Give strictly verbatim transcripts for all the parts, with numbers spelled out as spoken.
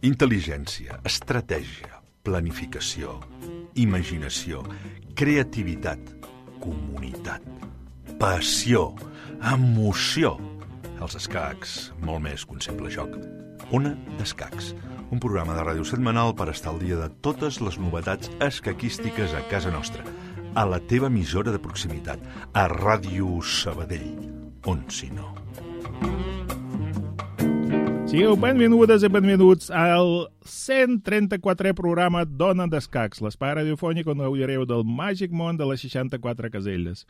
Intel·ligència, estratègia, planificació, imaginació, creativitat, comunitat, passió, emoció. Els escacs, molt més que un simple joc. Ona d'Escacs, un programa de ràdio setmanal per estar al dia de totes les novetats escaquístiques a casa nostra, a la teva emissora de proximitat, a Ràdio Sabadell, on si no. Sigueu benvingudes i benvinguts al cent trenta-quatrè programa d'Ona d'Escacs, l'espai radiofònic on gaudireu del màgic món de les seixanta-quatre caselles.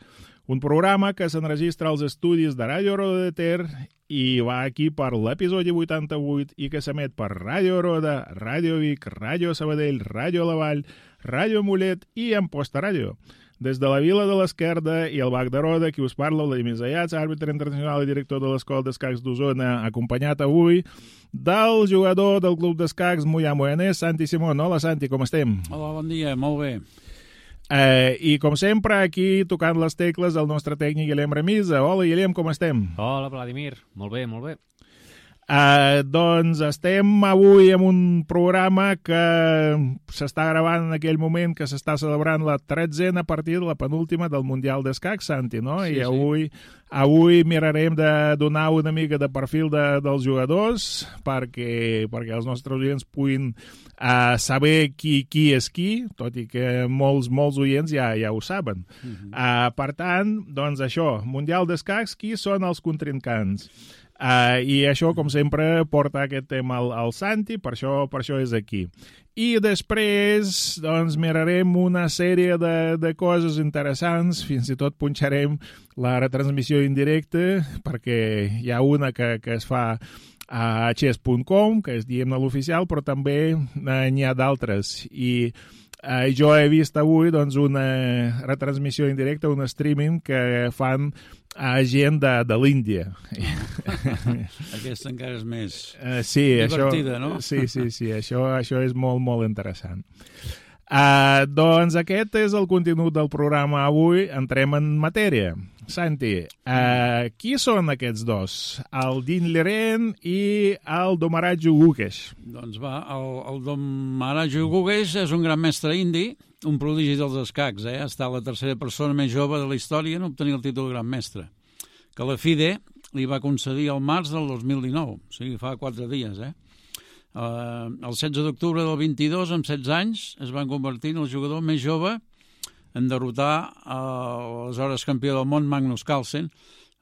Un programa que s'enregistra als estudis de Ràdio Roda de Ter i va aquí per l'episodi vuitanta-vuit i que s'emet per Ràdio Roda, Ràdio Vic, Ràdio Sabadell, Ràdio La Vall, Ràdio Mollet i Amposta Ràdio. Des de la Vila de l'Esquerda i el Bac de Roda, qui us parla, Vladimir Zayats, àrbitre internacional i director de l'Escola d'Escacs d'Osona, acompanyat avui del jugador del Club d'Escacs Moià Moianès, Santi Simón. Hola, Santi, com estem? Hola, bon dia, molt bé. Eh, I, com sempre, aquí tocant les tecles el nostre tècnic Guillem Remisa. Hola, Guillem, com estem? Hola, Vladimir. Molt bé, molt bé. Uh, doncs estem avui en un programa que s'està gravant en aquell moment que s'està celebrant la tretzena partida, la penúltima del Mundial d'Escacs, Santi, no? Sí, I avui, sí. avui mirarem de donar una mica de perfil de, dels jugadors perquè, perquè els nostres oients puguin uh, saber qui, qui és qui, tot i que molts, molts oients ja, ja ho saben. Uh-huh. uh, per tant, doncs això, Mundial d'Escacs, qui són els contrincants? Uh, I això, com sempre, porta aquest tema al, al Santi, per això, per això és aquí. I després, doncs, mirarem una sèrie de, de coses interessants, fins i tot punxarem la retransmissió indirecta, perquè hi ha una que, que es fa a chess punt com, que és, diguem-ne, l'oficial, però també uh, n'hi ha d'altres. I uh, jo he vist avui, doncs, una retransmissió indirecta, un streaming que fan a gent de, de l'Índia. Aquesta encara és més uh, sí, divertida, això, no? Sí, sí, sí, això, això és molt, molt interessant. Uh, doncs aquest és el contingut del programa avui. Entrem en matèria. Santi, uh, qui són aquests dos? El Din Liren i el Domaraju Gukesh. Doncs va, el, el Domaraju Gukesh és un gran mestre indi, un prodigi dels escacs, eh? Ha estat la tercera persona més jove de la història en obtenir el títol de gran mestre, que la F I D E li va concedir al març del dos mil dinou, o sigui, fa quatre dies, eh? Uh, el setze d'octubre del vint-i-dos, amb setze anys, es van convertir en el jugador més jove en derrotar l'aleshores campió del món Magnus Carlsen.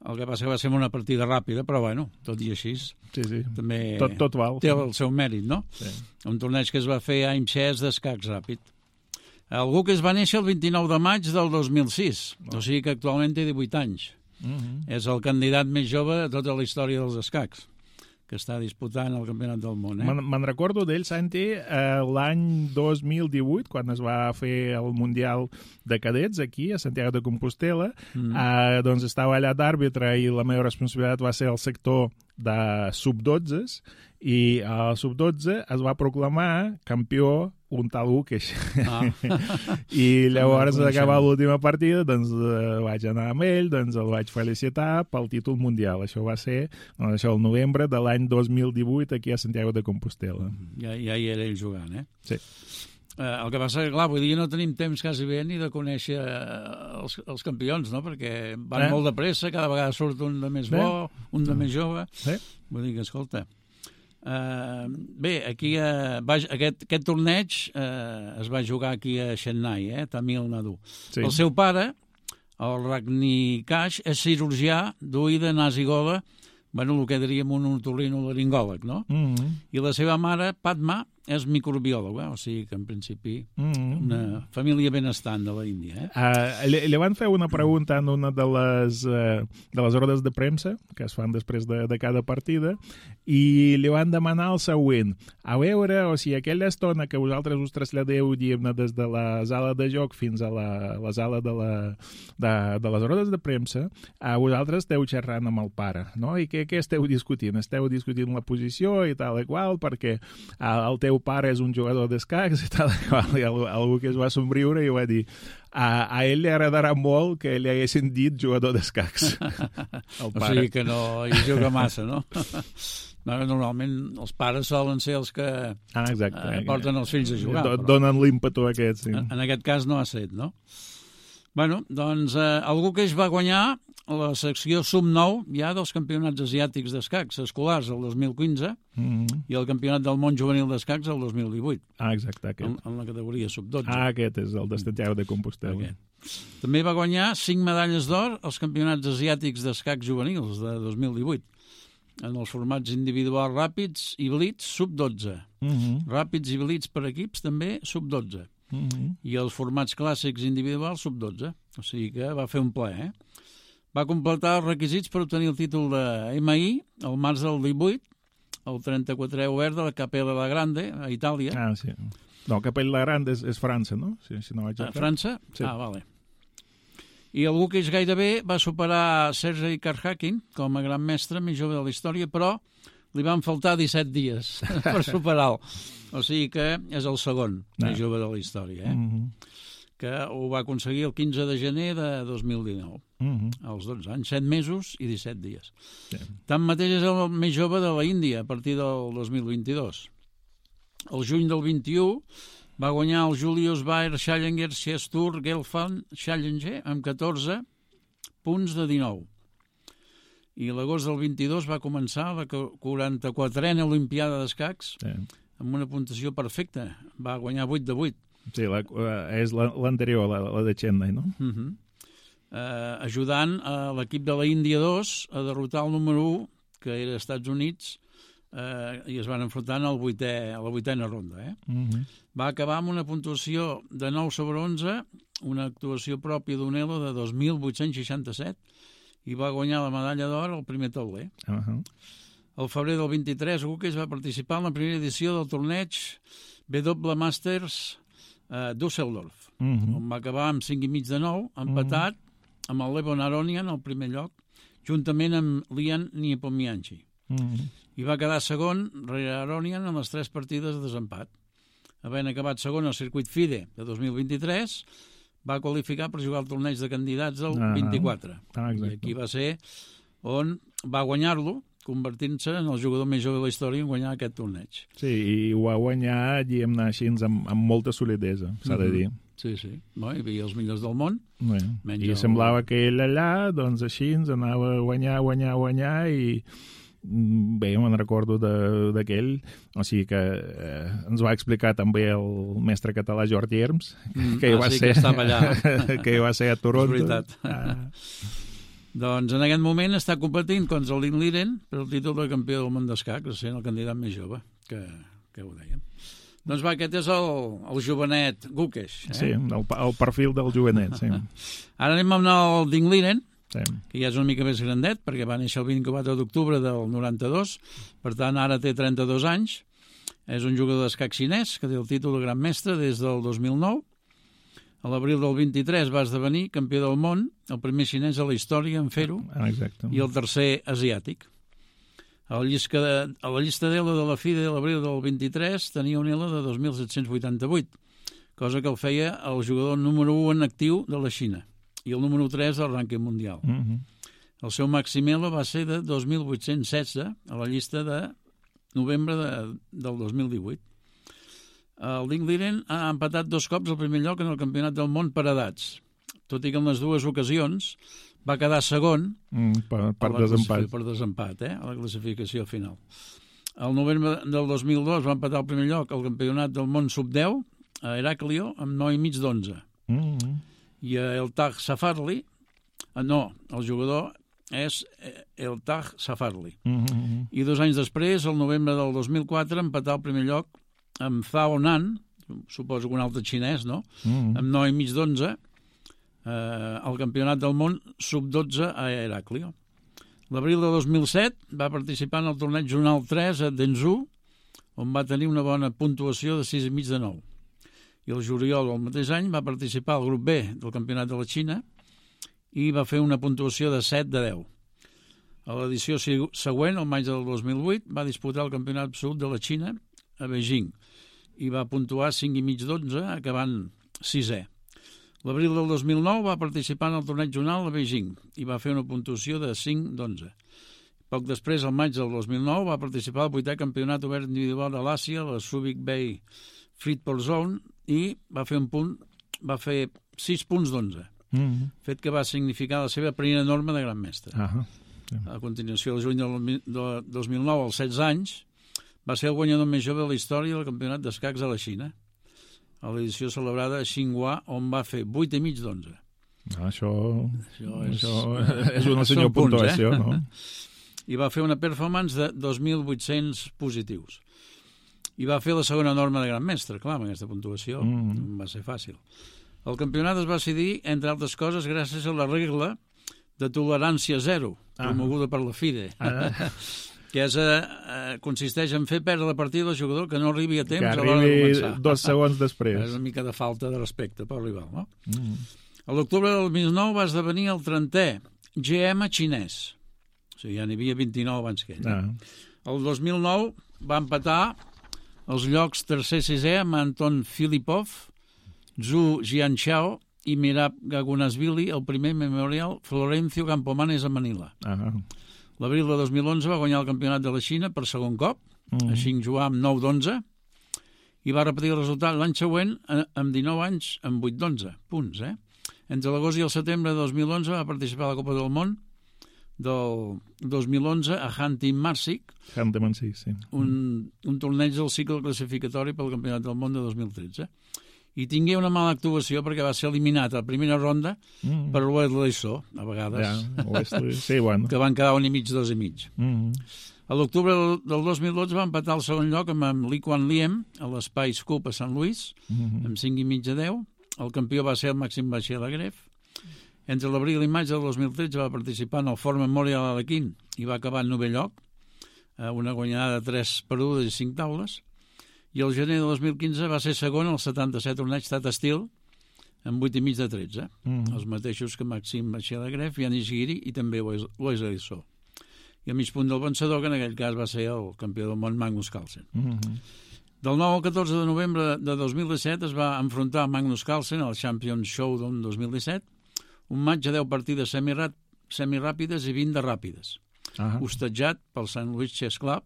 El que passa que va ser una partida ràpida, però bueno, tot i així, sí, sí. també tot, tot val. Té el seu mèrit, no? Sí. Un torneig que es va fer a Imchess d'escacs ràpid. El Gukesh va néixer el vint-i-nou de maig del dos mil sis, oh. O sigui que actualment té divuit anys. Uh-huh. És el candidat més jove de tota la història dels escacs, que està disputant el campionat del món. Eh? Me'n me'n recordo d'ell, Santi, eh, l'any dos mil divuit, quan es va fer el Mundial de Cadets aquí, a Santiago de Compostela, mm. eh, doncs estava allà d'àrbitre i la meva responsabilitat va ser el sector de sub dotze, i al sub dotze es va proclamar campió un tal Gukesh. Ah. I llavors, d'acabar l'última partida, doncs eh, vaig anar amb ell, doncs el vaig felicitar pel títol mundial. Això va ser doncs, això, el novembre de l'any dos mil divuit aquí a Santiago de Compostela. Ja, ja hi era ell jugant, eh? Sí. Eh, el que passa que, clar, vull dir, no tenim temps quasi bé ni de conèixer els, els campions, no? Perquè van eh? molt de pressa, cada vegada surt un de més bo, eh? un de eh? més jove. Eh? Vull dir que, escolta... Uh, bé, aquí uh, va, aquest, aquest torneig uh, es va jugar aquí a Chennai, eh, Tamil Nadu. Sí. El seu pare, el Rajnikash, és cirurgià d'oïda nasigola, bueno, el que diríem un otorrinolaringòleg, no? Mm-hmm. I la seva mare, Padma, és microbiòloga, o sigui que en principi mm-hmm. una família benestant de l'Índia. Eh? Uh, li, li van fer una pregunta en una de les, uh, de les rodes de premsa que es fan després de, de cada partida i li van demanar el següent. A veure, o sigui, aquella estona que vosaltres us traslladeu, diguem-ne, des de la sala de joc fins a la, la sala de, la, de, de les rodes de premsa, uh, vosaltres esteu xerrant amb el pare, no? I què, què esteu discutint? Esteu discutint la posició i tal i qual, perquè uh, el teu pare és un jugador d'escacs i tal i qual. I algú que es va somriure i va dir a, a ell li agradarà molt que li haguessin dit jugador d'escacs. O sigui que no hi juga massa, no? Normalment els pares solen ser els que ah, exacte, eh, porten els fills a jugar. Do, donen l'ímpetu aquest, sí. En, en aquest cas no ha set, no? Bueno, doncs eh, algú que es va guanyar la secció sub nou ja dels campionats asiàtics d'escacs escolars el dos mil quinze mm-hmm. i el campionat del món juvenil d'escacs el dos mil divuit. Ah, exacte, aquest. En, en la categoria sub dotze. Ah, aquest és el de Santiago de Compostela. Aquest. També va guanyar cinc medalles d'or als campionats asiàtics d'escacs juvenils de dos mil divuit, en els formats individuals ràpids i blitz sub dotze. Mm-hmm. Ràpids i blitz per equips també sub dotze. Mm-hmm. I els formats clàssics individuals sub dotze. O sigui que va fer un ple, eh? Va completar els requisits per obtenir el títol de M I al març del divuit, el trenta-quatrè obert de la Capella la Grande, a Itàlia. Ah, sí. No, Capella la Grande és, és França, no? Si, si no vaig a França? Sí. Ah, vale. I algú que és gairebé va superar Sergei Karjakin com a gran mestre més jove de la història, però li van faltar disset dies per superar-lo. O sigui que és el segon no. més jove de la història, eh? Mm-hmm. Que ho va aconseguir el quinze de gener de dos mil dinou, mm-hmm. als dotze anys, set mesos i disset dies. Sí. Tanmateix és el més jove de la Índia a partir del dos mil vint-i-dos. El juny del vint-i-u va guanyar el Julius Baer Challenger Chess Tour Gelfand Challenger amb catorze punts de dinou. I l'agost del vint-i-dos va començar la quaranta-quatrena Olimpiada d'Escacs sí. amb una puntuació perfecta. Va guanyar vuit de vuit. Sí, la, és l'anterior, la, la de Chennai, no? Uh-huh. Uh, ajudant a l'equip de la Índia dos a derrotar el número u, que era als Estats Units, uh, i es van enfrontar al vuitè, a la vuitena ronda. Eh? Uh-huh. Va acabar amb una puntuació de nou sobre onze, una actuació pròpia d'Unelo de dos mil vuit-cents seixanta-set, i va guanyar la medalla d'or al primer tauler. Uh-huh. El febrer del vint-i-tres, Guques va participar en la primera edició del torneig W Masters Uh, Düsseldorf, uh-huh. on va acabar amb cinc i mig de nou, empatat uh-huh. amb el Levon Aronian al primer lloc, juntament amb Lian Niepomianchi. Uh-huh. I va quedar segon rere Aronian en les tres partides de desempat. Havent acabat segon al circuit FIDE de dos mil vint-i-tres, va qualificar per jugar al torneig de candidats del uh-huh. vint-i-quatre. Ah, I aquí va ser on va guanyar-lo, convertint-se en el jugador més jove de la història en guanyar aquest torneig. Sí, i ho va guanyar, diguem-ne així, amb, amb molta solidesa, s'ha de dir. Sí, sí. Bé, hi havia els millors del món. Bé, I el... semblava que ell allà, doncs així, ens anava a guanyar, guanyar, guanyar, i bé, me'n recordo d'aquell, o sigui que eh, ens va explicar també el mestre català Jordi Herms, mm, que, ah, va sí, ser, que estava allà. que va ser a Toronto. És veritat. Ah. Doncs en aquest moment està competint contra el Lin Liren per el títol de campió del món d'escacs, sent el candidat més jove, que, que ho dèiem. Doncs va, aquest és el, el jovenet Guques. Eh? Sí, el, el perfil del jovenet, sí. Ara anem amb el Ding Liren, sí. que ja és una mica més grandet, perquè va néixer el vint-i-quatre d'octubre del noranta-dos, per tant ara té trenta-dos anys. És un jugador d'escac xinès que té el títol de gran mestre des del dos mil nou. A l'abril del vint-i-tres va esdevenir campió del món, el primer xinès a la història en fer-ho, exacte. I el tercer asiàtic. A la llista de, a la llista d'Ela de la FIDE de l'abril del vint-i-tres tenia un Ela de dos mil set-cents vuitanta-vuit, cosa que el feia el jugador número u en actiu de la Xina, i el número tres del rànquing mundial. Uh-huh. El seu màxim Ela va ser de dos mil vuit-cents setze a la llista de novembre de, del dos mil divuit. El Ding Liren ha empatat dos cops el primer lloc en el campionat del món per edats, tot i que en les dues ocasions va quedar segon mm, per, per, desempat. per desempat, eh, a la classificació final. El novembre del dos mil dos va empatar el primer lloc al campionat del món sub deu a Heraclio amb nou i mig d'onze. Mm-hmm. I a El Taj Safarli, no, el jugador és El Taj Safarli. Mm-hmm. I dos anys després, el novembre del dos mil quatre, empatar el primer lloc amb Zhao Nan, suposo que un altre xinès, no? Mm-hmm. Amb nou i mig d'onze, eh, al campionat del món sub dotze a Heraclio. L'abril de dos mil set va participar en el torneig zonal tres a Denzhou, on va tenir una bona puntuació de sis i mig de nou. I el juliol del mateix any va participar al grup B del campionat de la Xina i va fer una puntuació de set de deu. A l'edició següent, el maig del dos mil vuit, va disputar el campionat absolut de la Xina a Beijing i va puntuar cinc i mig d'onze, acabant sisè. L'abril del dos mil nou va participar en el torneig zonal a Beijing i va fer una puntuació de cinc d'onze. Poc després, al maig del dos mil nou, va participar al vuitè campionat obert individual de l'Àsia, la Subic Bay Freeport Zone, i va fer un punt, va fer sis punts d'onze, mm-hmm. fet que va significar la seva primera norma de gran mestre. Uh-huh. A continuació, el juny del dos mil nou, als setze anys, va ser el guanyador més jove de la història del campionat d'escacs a la Xina, a l'edició celebrada a Xinhua, on va fer vuit i mig d'onze. Ah, això, això, és, això és una senyor puntuació, eh? No? I va fer una performance de dos mil vuit-cents positius. I va fer la segona norma de gran mestre, clar, amb aquesta puntuació mm. va ser fàcil. El campionat es va decidir, entre altres coses, gràcies a la regla de tolerància zero, ah. promoguda per la FIDE, ah. que és, eh, consisteix en fer perdre la partida al jugador que no arribi a temps a l'hora de començar. Dos segons després. És una mica de falta de respecte per rival, no? Mm. A l'octubre del dos mil nou va esdevenir el trentè G M xinès. O sigui, ja n'hi havia vint-i-nou abans que ell. Ah. El dos mil nou va empatar els llocs tercer i sisè amb Anton Filipov, Zhu Jianchao i Mirab Gagunasvili, el primer Memorial Florencio Campomanes a Manila. Ah. L'abril de dos mil onze va guanyar el campionat de la Xina per segon cop, mm. a Xinhua amb nou d'onze, i va repetir el resultat l'any següent amb dinou anys amb vuit d'onze punts. Eh? Entre l'agost i el setembre de dos mil onze va participar a la Copa del Món del dos mil onze a Hanti-Marsik, Hanti-Marsik, sí. un, un torneig del cicle classificatori pel Campionat del Món de dos mil tretze. I tingué una mala actuació perquè va ser eliminat a la primera ronda mm. per l'Oesley So, a vegades, ja, Wesley, sí, bueno. que van quedar un i mig, dos i mig. Mm. A l'octubre del dos mil dotze va empatar el segon lloc amb Li Kuan Liem a l'Spice Cup a Sant Luis, mm. amb cinc i mig a deu. El campió va ser el Màxim Baixer-Lagref. Entre l'abril i maig del dos mil tretze va participar en el Ford Memorial a Alequín i va acabar en novè lloc, una guanyada de tres perdudes i cinc taules. I el gener de dos mil quinze va ser segon al setanta-set torneig Tata Steel amb vuit i mig de tretze. Mm. Els mateixos que Màxim Baixer-Lagref, Yanis Giri i també Wesley So. I a mig punt del vencedor, que en aquell cas va ser el campió del món Magnus Carlsen. Mm-hmm. Del nou al catorze de novembre de dos mil disset es va enfrontar Magnus Carlsen al Champions Showdown dos mil disset, un maig a deu partides semiràp semiràpides i vint de ràpides, uh-huh. hostatjat pel Saint Louis Chess Club,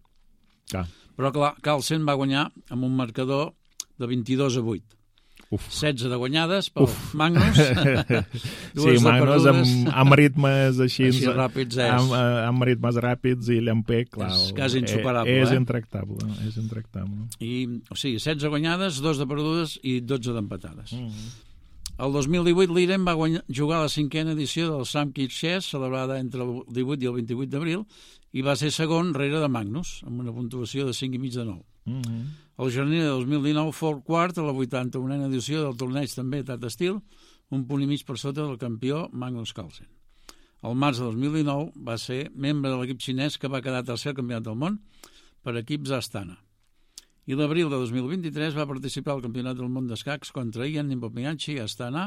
ah. però clar, Carlsen va guanyar amb un marcador de vint-i-dos a vuit. Uf. setze de guanyades pel Uf. Magnus. Sí, Magnus amb, amb ritmes així, així ràpids és. Amb, amb ritmes ràpids i Llampec, clar. És quasi insuperable. És eh? intractable, és intractable. I, o sigui, setze guanyades, dos de perdudes i dotze d'empatades. Mm-hmm. El dos mil divuit l'Iren va guanyar, jugar a la cinquena edició del Sam Kidd Chess, celebrada entre el divuit i el vint-i-vuit d'abril, i va ser segon rere de Magnus, amb una puntuació de cinc i mig de nou. Mm-hmm. El gener de dos mil dinou fou quart a la vuitanta-unena edició del torneig també Tata Steel, un punt i mig per sota del campió Magnus Carlsen. El març de dos mil dinou va ser membre de l'equip xinès que va quedar tercer al campionat del món per equips a Astana. I l'abril de dos mil vint-i-tres va participar al Campionat del Món d'Escacs contra Ian Nepomniachtchi a Astana,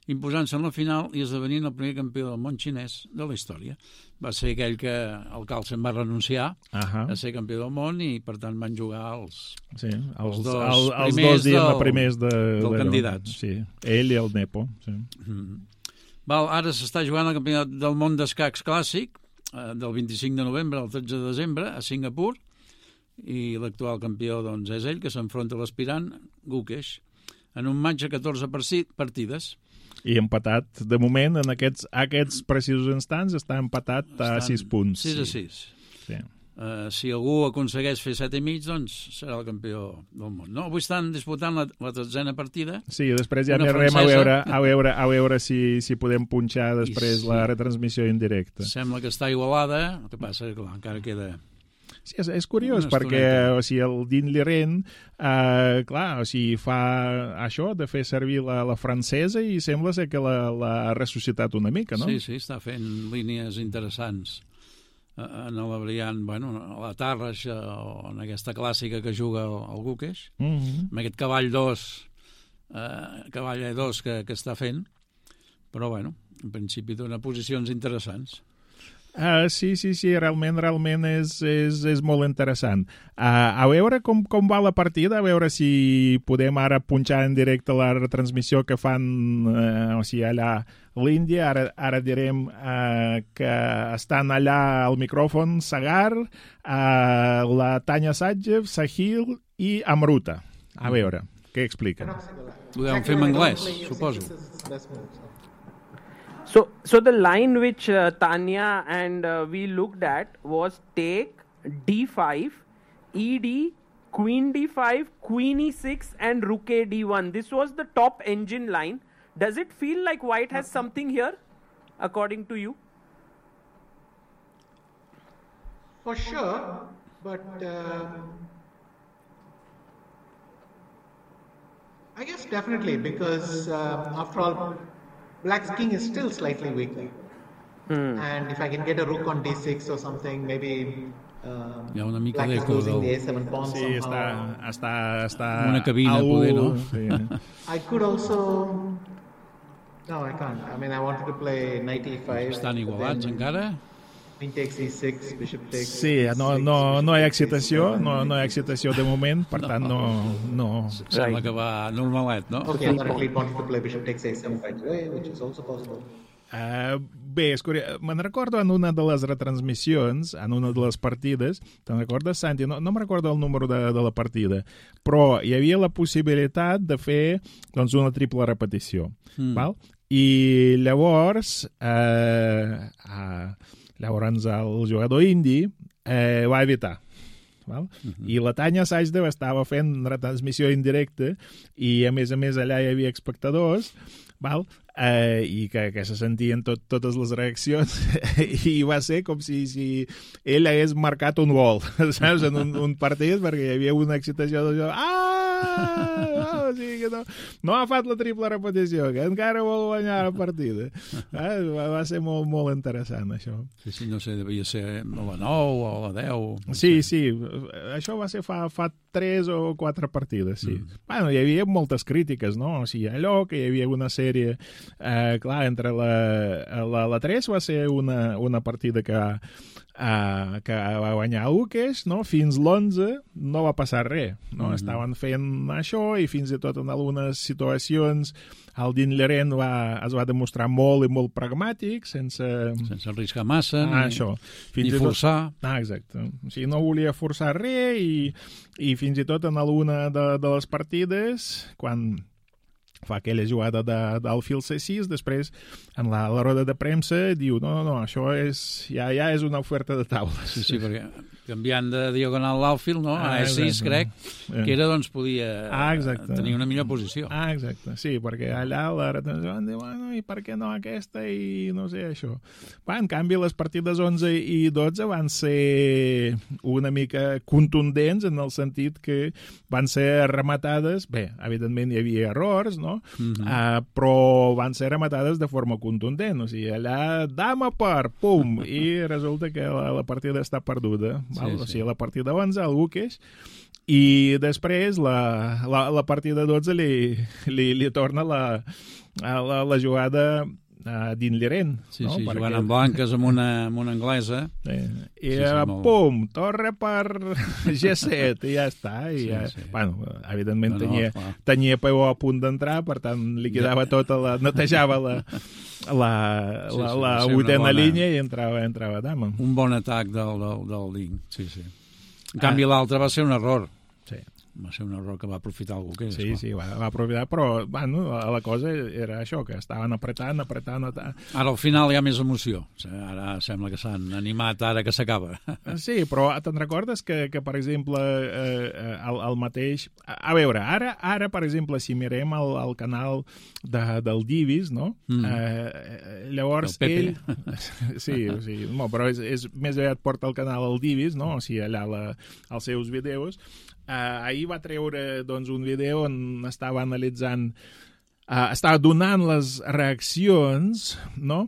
imposant-se en la final i esdevenint el primer campió del món xinès de la història. Va ser aquell que el Carlsen va renunciar uh-huh. a ser campió del món i, per tant, van jugar els, sí, els, els dos el, els primers, dos del, primers de, del de, candidat. Sí, ell i el Nepo. Sí. Mm-hmm. Val, ara s'està jugant el Campionat del Món d'Escacs Clàssic eh, del vint-i-cinc de novembre al tretze de desembre a Singapur, i l'actual campió doncs, és ell, que s'enfronta a l'aspirant Gukesh en un match a catorze partides. I empatat, de moment, en aquests, aquests precisos instants, està empatat a Estan sis punts. sis a sis. Sí. Uh, si algú aconsegueix fer set i mig, doncs serà el campió del món. No? Avui estan disputant la, la tretzena partida. Sí, després ja mirarem a veure, a veure, a veure si, si podem punxar després sí. la retransmissió indirecta. Sembla que està igualada, el que passa que clar, encara queda... Sí, és, és curiós, perquè o sigui, el Dean Liren, eh, clar, o sigui, fa això de fer servir la, la francesa i sembla ser que l'ha ressuscitat una mica, no? Sí, sí, està fent línies interessants en la variant, bueno, a la Tarrax o en aquesta clàssica que juga el, el Gukesh, mm-hmm. amb aquest cavall dos, eh, cavall E dos que, que està fent, però, bueno, en principi dona posicions interessants. Uh, sí, sí, sí, realment, realment és, és, és molt interessant. Uh, a veure com, com va la partida, a veure si podem ara punxar en directe la retransmissió que fan, uh, o sigui, allà l'Índia. Ara, ara direm uh, que estan allà al micròfon Sagar, uh, la Tanya Sadjev, Sahil i Amruta. A veure, què expliquen? Ho deuen fer en anglès, suposo. So, so the line which uh, Tanya and uh, we looked at was take d five, e d, queen d five, queen e six, and rook a d one. This was the top engine line. Does it feel like white has something here, according to you? For sure, but uh, I guess definitely because uh, after all, Black's king is still slightly weaker. Hmm. And if I can get a rook on d six or something, maybe uh, Hi ha una mica Black is d'eco losing del... the a seven pawn Sí, somehow. està, està, està Una cabina, au, poder, no? Sí. I could also... No, I can't. I mean, I wanted to play knight e five. Estan igualats then encara? Queen takes e six, bishop takes Sí, no, six, no, bishop no hi ha takes e excitació, seven. no, no hi ha excitació de moment, per tant no... no. Sembla que va normalet, no? Okay, I thought at least wanted to play bishop takes a seven right away, which is also possible. Uh, bé, és curiós. Me'n recordo en una de les retransmissions, en una de les partides, te'n recordes, Santi? No, no me'n recordo el número de, de la partida, però hi havia la possibilitat de fer doncs, una triple repetició. Mm. Val? I llavors, eh, uh, llavors el jugador indi eh, va evitar. Val? Uh-huh. I la Tanya Sajdev estava fent retransmissió indirecta i a més a més allà hi havia espectadors, val? Eh, i que, que se sentien tot, totes les reaccions i va ser com si, si ell hagués marcat un gol, saps, en un, un partit, perquè hi havia una excitació de joc. Ah! Oh, o sigui que no, no ha fet la triple repetició, que encara vol guanyar la partida. Eh? Va, va ser molt, molt interessant, això. Sí, sí, no sé, devia ser a la nou o a la deu. No sí, sé. sí, això va ser fa, fa tres o quatre partides, sí. Mm. Bueno, hi havia moltes crítiques, no? O sigui, allò que hi havia una sèrie, eh, clar, entre la, la, la tres va ser una, una partida que, eh, que va guanyar Lukesh, no? Fins l'onze no va passar res, no? Mm-hmm. Estaven fent això i fins i tot en algunes situacions el Dean Leren va, es va demostrar molt i molt pragmàtic, sense... Sense arriscar massa, ah, ni, això. ni forçar. Tot... Ah, exacte. O sigui, no volia forçar res i, i fins i tot en alguna de, de les partides, quan fa aquella jugada de, d'alfil C sis, després en la, la roda de premsa diu no, no, no, això és, ja, ja és una oferta de taula. Sí, sí, perquè canviant de diagonal l'alfil, no? A E sis, crec, que era, doncs, podia ah, tenir una millor posició. Ah, exacte, sí, perquè allà la retenció van dir, bueno, i per què no aquesta i no sé, això. Va, en canvi, les partides onze i dotze van ser una mica contundents en el sentit que van ser rematades, bé, evidentment hi havia errors, no? Mm-hmm. Uh, però van ser rematades de forma contundent, o sigui, allà dama per, pum, i resulta que la, la partida està perduda, val? Sí, sí. O sigui, la partida onze, el Lukesh, i després la, la, la partida dotze li, li, li torna la, la, la jugada a Dean Leren. Sí, no? sí, Perquè... jugant amb blanques amb una, amb una anglesa. Sí. I sí, sí, sí, molt... pum, torre per G set, i ja està. I sí, ja... sí. Bueno, evidentment no, no, tenia, clar. tenia peó a punt d'entrar, per tant li quedava ja. tota la... netejava la, la, sí, la, sí, la sí, vuitena bona... línia i entrava, entrava dama. Un bon atac del, del, del Ding, sí, sí. En canvi, ah. l'altre va ser un error. Sí. Va ser un error que va aprofitar algú que és. Sí, clar. sí, va, va aprofitar, però bueno, la, la cosa era això, que estaven apretant, apretant... apretant. Ara al final hi ha més emoció. Ara sembla que s'han animat ara que s'acaba. Sí, però te'n recordes que, que per exemple, eh, el, el mateix... A, a veure, ara, ara, per exemple, si mirem el, el canal de, del Divis, no? Mm. Eh, llavors ell... Sí, o sigui, no, però és, és més aviat porta el canal al Divis, no? O sigui, allà la, els seus vídeos. Uh, ahir va treure doncs, un vídeo on estava analitzant, uh, estava donant les reaccions, no?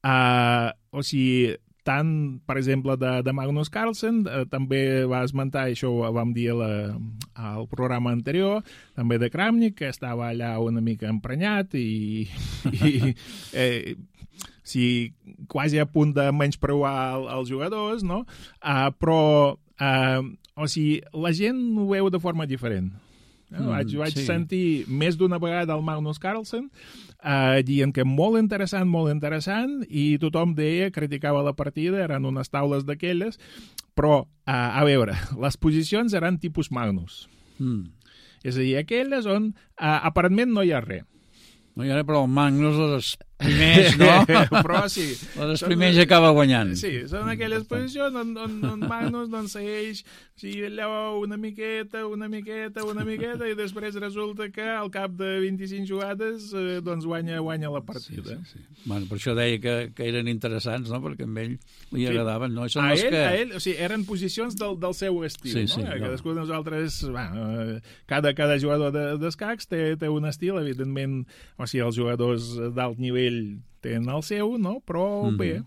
Uh, o sigui, tant, per exemple, de, de Magnus Carlsen, eh, també va esmentar, això ho vam dir la, al programa anterior, també de Kramnik, que estava allà una mica emprenyat i, i eh, sí, quasi a punt de menyspreuar els jugadors, no? Uh, però, uh, o sigui, la gent ho veu de forma diferent. Mm, vaig vaig sí. sentir més d'una vegada el Magnus Carlsen uh, dient que molt interessant, molt interessant, i tothom deia, criticava la partida, eren unes taules d'aquelles, però, uh, a veure, les posicions eren tipus Magnus. Mm. És a dir, aquelles on uh, aparentment no hi ha res. No hi ha res, però el Magnus les primers, no? Però sí. Les primers ja acaba guanyant. Sí, són aquelles posicions on, on, on Magnus doncs, segueix sí, allò una miqueta, una miqueta, una miqueta, i després resulta que al cap de vint-i-cinc jugades eh, doncs guanya, guanya la partida. Sí, sí, sí. Bueno, per això deia que, que eren interessants, no? Perquè a ell li sí. agradaven, no? Són a, els ell, que... a ell, o sigui, eren posicions del, del seu estil, sí, no? sí, Eh, no. Cadascú de nosaltres, bueno, cada, cada jugador de, d'escacs té, té un estil, evidentment, o sigui, els jugadors d'alt nivell tenen el seu, no? Però mm-hmm. bé.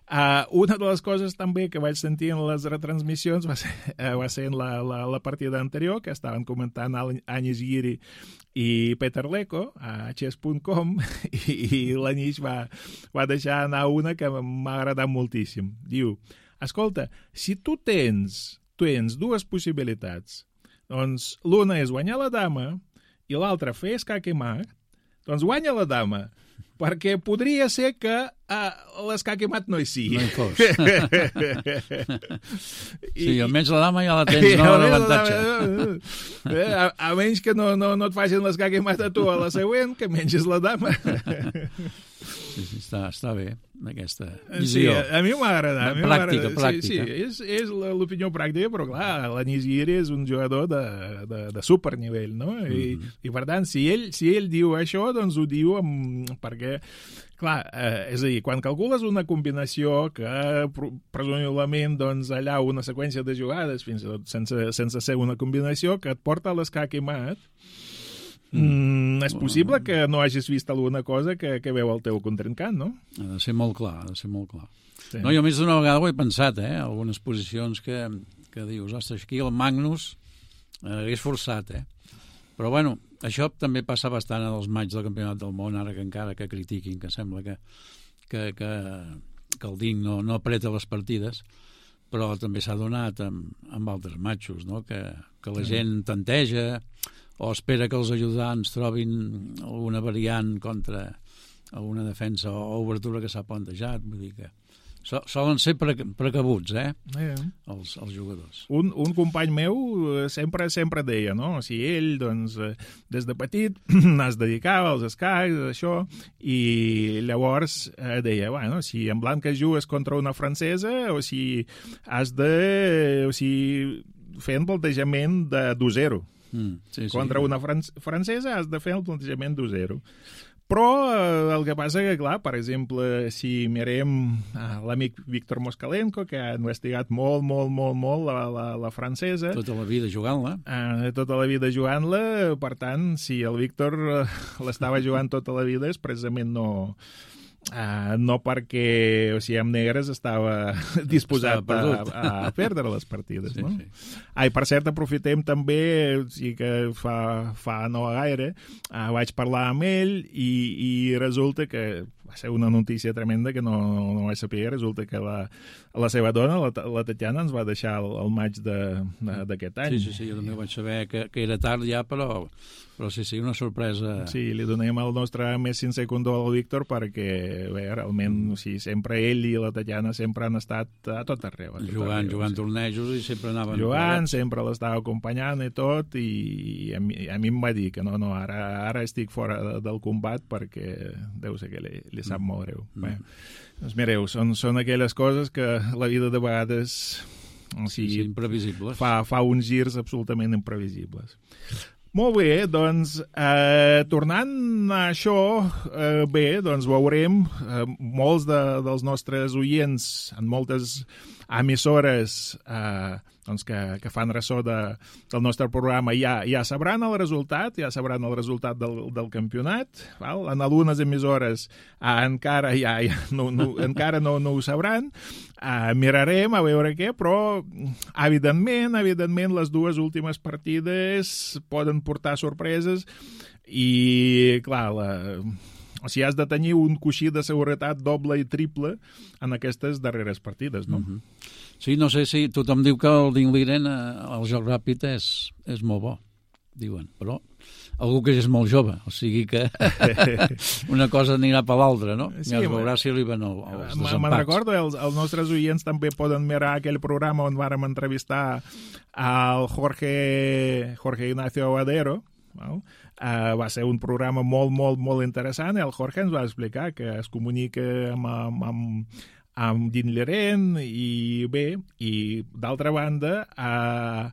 Uh, una de les coses també que vaig sentir en les retransmissions va ser, uh, va ser en la, la, la partida anterior, que estaven comentant Anis Giri i Peter Leko a chess punt com, i, i l'Anis va, va deixar anar una que m'ha agradat moltíssim. Diu, escolta, si tu tens, tens dues possibilitats, doncs l'una és guanyar la dama i l'altra fer escac i mat, doncs guanya la dama, perquè podria ser que uh, l'escac i mat no hi sigui. No hi fos. Sí, almenys la dama ja la tens, no? L'avantatge. A, a menys que no, no, no et facin l'escac i mat a tu a la següent, que menges la dama. Sí, sí, està, està bé, aquesta visió. Sí, a, a mi m'ha agradat. Pràctica, pràctica. Sí, sí, és, és l'opinió pràctica, però clar, l'Anis Giri és un jugador de, de, de supernivell, no? I, mm-hmm. i per tant, si ell, si ell diu això, doncs ho diu amb, perquè, clar, eh, és a dir, quan calcules una combinació que presumiblement, doncs, allà una seqüència de jugades, fins i tot sense, sense ser una combinació, que et porta a l'escac i mat, Mm, és possible que no hagis vist alguna cosa que, que veu el teu contrincant, no? Ha de ser molt clar, ha de ser molt clar. Sí. No, jo més d'una vegada ho he pensat, eh? Algunes posicions que, que dius, ostres, aquí el Magnus eh, hagués forçat, eh? Però, bueno, això també passa bastant en els matxs del Campionat del Món, ara que encara que critiquin, que sembla que, que, que, que el Ding no, no apreta les partides, però també s'ha donat amb, amb altres matxos, no? Que, que la gent tanteja o espera que els ajudants trobin alguna variant contra alguna defensa o obertura que s'ha plantejat. Vull dir que so, solen ser pre, precabuts, eh? eh. Els, els jugadors. Un, un company meu sempre sempre deia, no? O sigui, ell, doncs, des de petit es dedicava als escacs, això, i llavors eh, deia, bueno, si en blanca jugues contra una francesa, o si has de... o sigui, fer un plantejament de d'u zero. Mm, sí, sí. Contra una fran francesa has de fer el plantejament d'u zero. Però eh, el que passa que, clar, per exemple, si mirem eh, l'amic Víctor Moskalenko, que ha investigat molt, molt, molt, molt la, la, la francesa... Tota la vida jugant-la. Eh, tota la vida jugant-la, per tant, si el Víctor eh, l'estava jugant tota la vida és precisament no... Uh, no perquè, o sigui, amb negres estava disposat estava a, a perdre les partides, sí, no? Sí. Ai, per cert, aprofitem també, o sigui que fa, fa no gaire, uh, vaig parlar amb ell i, i resulta que va ser una notícia tremenda que no, no vaig saber, resulta que la, la seva dona, la, la Tatiana, ens va deixar el, el maig d'aquest any. Sí, sí, sí, jo també vaig saber que, que era tard ja, però, però sí, sí, una sorpresa. Sí, li donem el nostre més sincer condol al Víctor perquè, bé, realment, o sigui, sempre ell i la Tatiana sempre han estat a tot arreu. A tot jugant, arreu, jugant sí. tornejos i sempre anaven... Jugant, sempre l'estava acompanyant i tot, i a mi, a mi em va dir que no, no, ara, ara estic fora del combat perquè deu ser que li, li sap molt greu. Mm. Bé, doncs mireu, són, són aquelles coses que la vida de vegades o sigui, sí, sí, imprevisibles. Fa, fa uns girs absolutament imprevisibles. Molt bé, doncs, eh, tornant a això, eh, bé, doncs veurem eh, molts de, dels nostres oients en moltes emissores eh, doncs que, que fan ressò de, del nostre programa ja, ja sabran el resultat, ja sabran el resultat del, del campionat. Val? En algunes emissores uh, encara, ja, ja, no, no, encara no, no ho sabran. Uh, mirarem a veure què, però evidentment, evidentment les dues últimes partides poden portar sorpreses i, clar, la, o sigui, has de tenir un coixí de seguretat doble i triple en aquestes darreres partides, no? Mm-hmm. Sí, no sé si tothom diu que el d'Ingliren, el joc ràpid, és, és molt bo, diuen, però algú que és molt jove, o sigui que una cosa anirà per l'altra, no? Sí, ja es veurà si arriben els desempats. Me'n recordo, els, els nostres oients també poden mirar aquell programa on vàrem entrevistar al Jorge, Jorge Ignacio Aguadero, no? Uh, va ser un programa molt, molt, molt interessant i el Jorge ens va explicar que es comunica amb, amb, amb, amb Dean Leren i bé, i d'altra banda uh,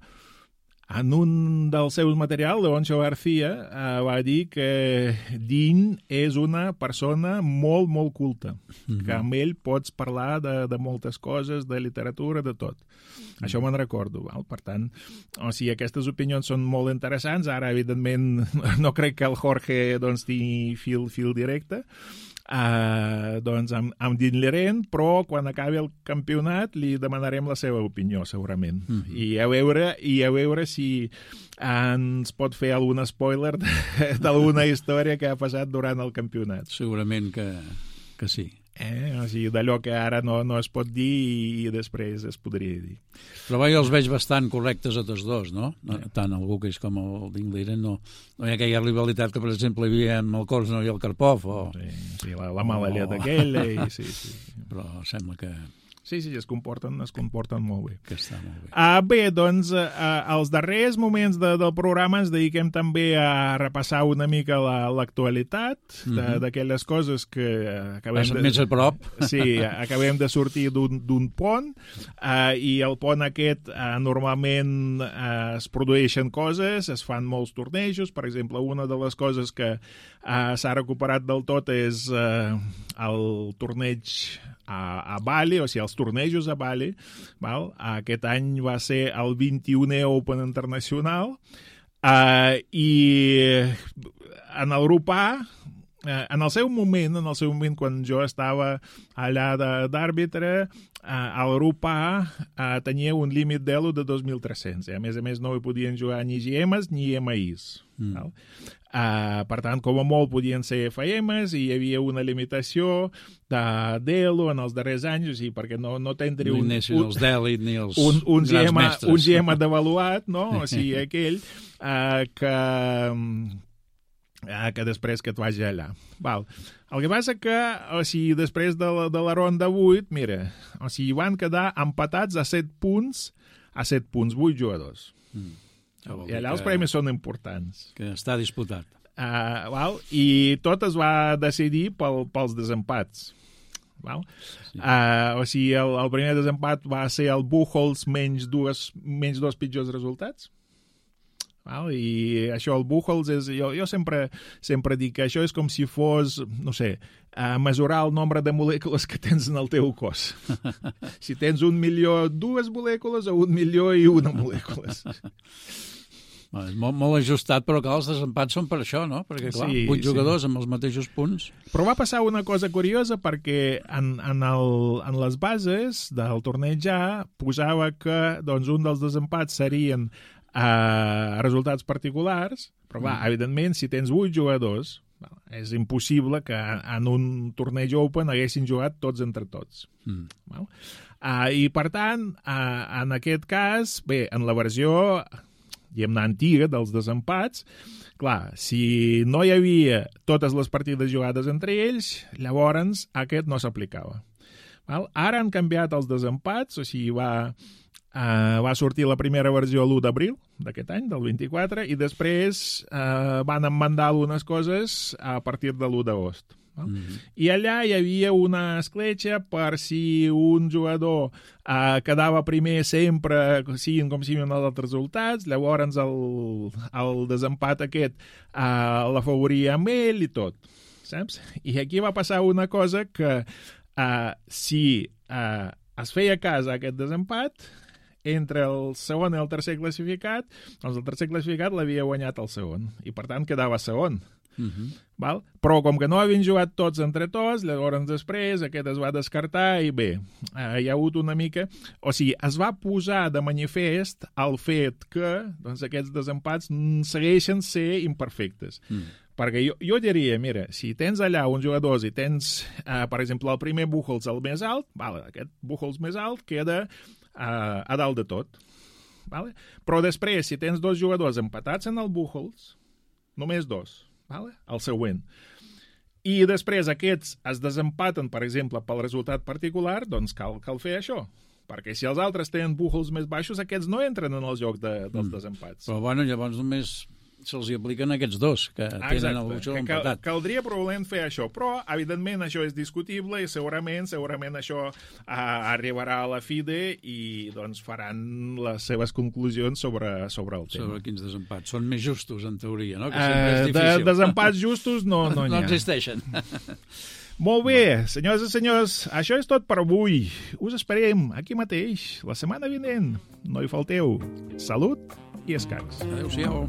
en un dels seus materials, Leoncio García uh, va dir que Dean és una persona molt, molt culta, mm-hmm. que amb ell pots parlar de, de moltes coses, de literatura, de tot. Mm-hmm. Això me'n recordo. Val? Per tant, o sigui, aquestes opinions són molt interessants. Ara, evidentment, no crec que el Jorge doncs, tingui fil, fil directe, Uh, doncs amb, amb Dean Leren, però quan acabi el campionat li demanarem la seva opinió, segurament. Mm-hmm. I, a veure, I a veure si ens pot fer algun spoiler d'alguna història que ha passat durant el campionat. Segurament que, que sí. Eh? O sigui, d'allò que ara no, no es pot dir i, i després es podria dir. Però jo els veig bastant correctes a tots dos, no? no eh. Tant el Gukic com el Dingliren no, no hi ha aquella rivalitat que, per exemple, hi havia amb el Korsno i el Karpov. O... Sí, sí, la, la mala llet aquella. I, sí, sí. Però sembla que... Sí, sí, es comporten, es comporten molt bé. Que està molt bé. Uh, bé, doncs, uh, als darrers moments de, del programa ens dediquem també a repassar una mica l'actualitat la, d'aquelles mm-hmm. coses que acabem de... més a prop. Sí, acabem de sortir d'un pont uh, i el pont aquest uh, normalment uh, es produeixen coses, es fan molts tornejos. Per exemple, una de les coses que uh, s'ha recuperat del tot és uh, el torneig a, a Bali, o sigui, els tornejos a Bali. Val? Aquest any va ser el vint-i-unè Open Internacional uh, i en el grup A, uh, en el seu moment, en el seu moment quan jo estava allà d'àrbitre, uh, el grup A uh, tenia un límit d'elo de dos mil tres-cents. A més a més no hi podien jugar ni G Ms ni M Is. Mm. Val? Uh, per tant, com a molt podien ser F Ms i hi havia una limitació de d'elo en els darrers anys, o sigui, perquè no, no tindria un, un, els d'elit ni els un, un, grans G M, mestres. Un G M devaluat, no? O sigui, aquell uh, que, uh, que després que et vagi allà. Val. El que passa que, o sigui, després de la, de la ronda vuit, mira, o sigui, van quedar empatats a set punts, a set punts, vuit jugadors. Mm. I allà els premis són importants. Que està disputat. Uh, val? I tot es va decidir pel, pels desempats. Val? Sí. Uh, o sigui, el, el primer desempat va ser el Buchholz menys, dues, menys dos pitjors resultats. Val? I això, el Buchholz, és, jo, jo sempre, sempre dic que això és com si fos, no sé, uh, mesurar el nombre de molècules que tens en el teu cos. Si tens un milió, dues molècules, o un milió i una molècules. És molt, molt ajustat, però clar, els desempats són per això, no? Perquè, clar, sí, vuit jugadors sí. amb els mateixos punts. Però va passar una cosa curiosa, perquè en, en, el, en les bases del torneig A posava que doncs, un dels desempats serien uh, resultats particulars, però, clar, mm. evidentment, si tens vuit jugadors, és impossible que en un torneig Open haguessin jugat tots entre tots. Mm. Uh, I, per tant, uh, en aquest cas, bé, en la versió... diguem-ne, antiga, dels desempats, clar, si no hi havia totes les partides jugades entre ells, llavors aquest no s'aplicava. Ara han canviat els desempats, o sigui, va, uh, va sortir la primera versió l'u d'abril d'aquest any, del vint-i-quatre, i després uh, van emmendar algunes coses a partir de l'u d'agost. Mm-hmm. I allà hi havia una escletxa per si un jugador uh, quedava primer sempre, siguin com siguin els altres resultats, llavors el, el desempat aquest uh, l'afavoria amb ell i tot, saps? I aquí va passar una cosa que uh, si uh, es feia cas a aquest desempat, entre el segon i el tercer classificat, doncs el tercer classificat l'havia guanyat el segon, i per tant quedava segon. Uh-huh. Val? Però com que no havien jugat tots entre tots, llavors després aquest es va descartar i bé, eh, hi ha hagut una mica... O sigui, es va posar de manifest el fet que doncs, aquests desempats segueixen ser imperfectes. Mm. Perquè jo, jo diria, mira, si tens allà uns jugadors i tens, eh, per exemple, el primer Buchholz el més alt, vale, aquest Buchholz més alt queda eh, a dalt de tot. Vale? Però després, si tens dos jugadors empatats en el Buchholz, només dos, vale? El següent. I després aquests es desempaten, per exemple, pel resultat particular, doncs cal, cal fer això. Perquè si els altres tenen Buchholz més baixos, aquests no entren en el joc de, dels mm. desempats. Però bueno, llavors només se'ls apliquen aquests dos, que ah, tenen el Buchholz empatat. Cal, caldria probablement fer això, però evidentment això és discutible i segurament segurament això uh, arribarà a la FIDE i doncs faran les seves conclusions sobre, sobre el tema. Sobre quins desempats. Són més justos, en teoria, no? Que sempre és difícil. De, desempats justos no, no n'hi ha. No existeixen. Molt bé, senyors i senyors, això és tot per avui. Us esperem aquí mateix, la setmana vinent. No hi falteu. Salut i escacs. Adéu-siau.